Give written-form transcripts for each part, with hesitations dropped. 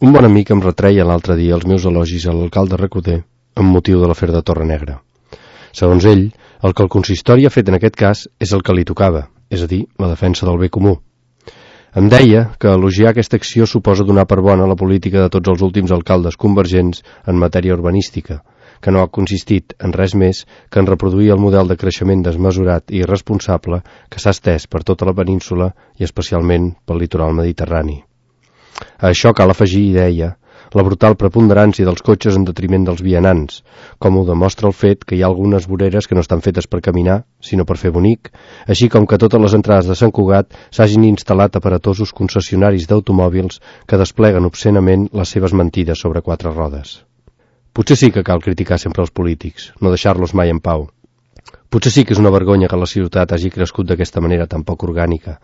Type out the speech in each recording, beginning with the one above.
Un bon amic em retreia l'altre dia els meus elogis a l'alcalde Recoder amb motiu de l'afer de Torre Negra. Segons ell, el que el consistori ha fet en aquest cas és el que li tocava, és a dir, la defensa del bé comú. Em deia que elogiar aquesta acció suposa donar per bona la política de tots els últims alcaldes convergents en matèria urbanística, que no ha consistit en res més que en reproduir el model de creixement desmesurat i irresponsable que s'ha estès per tota la península i especialment pel litoral mediterrani. A això cal afegir, i deia, la brutal preponderància dels cotxes en detriment dels vianants, com ho demostra el fet que hi ha algunes voreres que no estan fetes per caminar, sinó per fer bonic, així com que totes les entrades de Sant Cugat s'hagin instal·lat aparatosos concessionaris d'automòbils que despleguen obscenament les seves mentides sobre 4 rodes. Potser sí que cal criticar sempre els polítics, no deixar-los mai en pau. Potser sí que és una vergonya que la ciutat hagi crescut d'aquesta manera tan poc orgànica,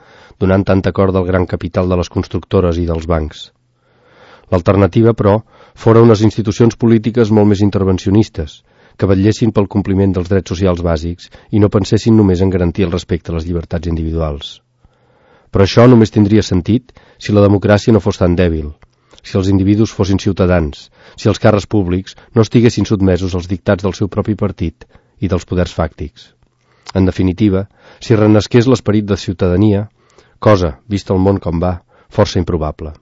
donant tanta corda al gran capital de les constructores i dels bancs. L'alternativa, però, fora unes institucions polítiques molt més intervencionistes, que vetllessin pel compliment dels drets socials bàsics i no pensessin només en garantir el respecte a les llibertats individuals. Però això només tindria sentit si la democràcia no fos tan dèbil, si els individus fossin ciutadans, si els càrrecs públics no estiguessin sotmesos als dictats del seu propi partit i dels poders fàctics. En definitiva, si renasqués l'esperit de ciutadania, cosa, vist el món com va, força improbable.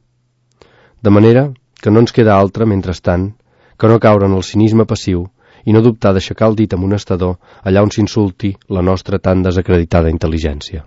De manera que no ens queda altra, mentrestant, que no caure en el cinisme passiu i no dubtar d'aixecar el dit amonestador allà on s'insulti la nostra tan desacreditada intel·ligència.